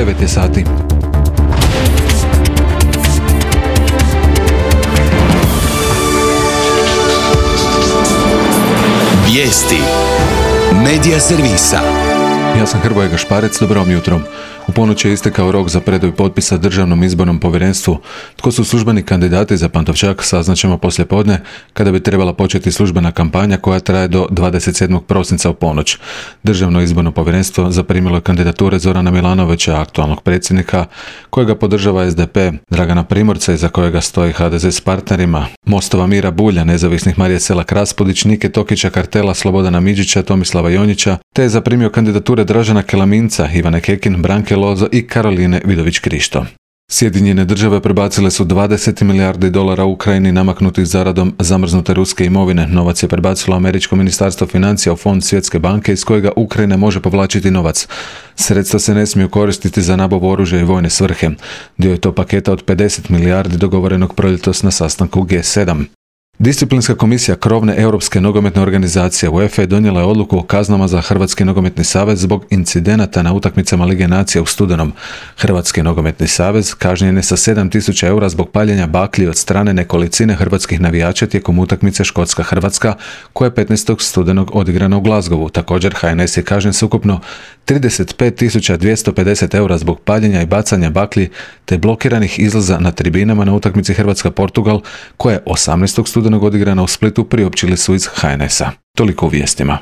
9 je sati. Vijesti Medija servisa. Ja sam Hrvoje Gašparec, dobro vam jutro. U ponoć je istekao rok za predaju potpisa Državnom izbornom povjerenstvu. Tko su službeni kandidati za Pantovčak saznaćemo poslijepodne, kada bi trebala početi službena kampanja koja traje do 27. prosinca u ponoć. Državno izborno povjerenstvo zaprimilo je kandidature Zorana Milanovića, aktualnog predsjednika, kojega podržava SDP, Dragana Primorca iza kojega stoji HDZ s partnerima, Mostova Mira Bulja, nezavisnih Marije Selak Raspudić, Nike Tokića, Kartela, Slobodana Midžića, Tomislava Jonjića, te je zaprimio kandidature Dražena Kelaminca, Ivane Kekin, Branke Lozo i Karoline Vidović Krišto. Sjedinjene države prebacile su 20 milijardi dolara Ukrajini namaknutih zaradom zamrznute ruske imovine. Novac je prebacilo Američko ministarstvo financija u fond Svjetske banke iz kojega Ukrajina može povlačiti novac. Sredstva se ne smiju koristiti za nabavu oružja i vojne svrhe. Dio je to paketa od 50 milijardi dogovorenog proljetos na sastanku G7. Disciplinska komisija krovne europske nogometne organizacije UEFA donijela je odluku o kaznama za Hrvatski nogometni savez zbog incidenata na utakmicama Lige nacija u studenom. Hrvatski nogometni savez kažnjen je sa 7.000 eura zbog paljenja baklji od strane nekolicine hrvatskih navijača tijekom utakmice Škotska-Hrvatska koja je 15. studenog odigrana u Glasgowu. Također HNS je kažnjen s ukupno 35.250 eura zbog paljenja i bacanja baklji te blokiranih izlaza na tribinama na utakmici Hrvatska-Portugal koja je 18. studenog odigrana u Splitu, priopćili su iz HNS-a. Toliko u vijestima.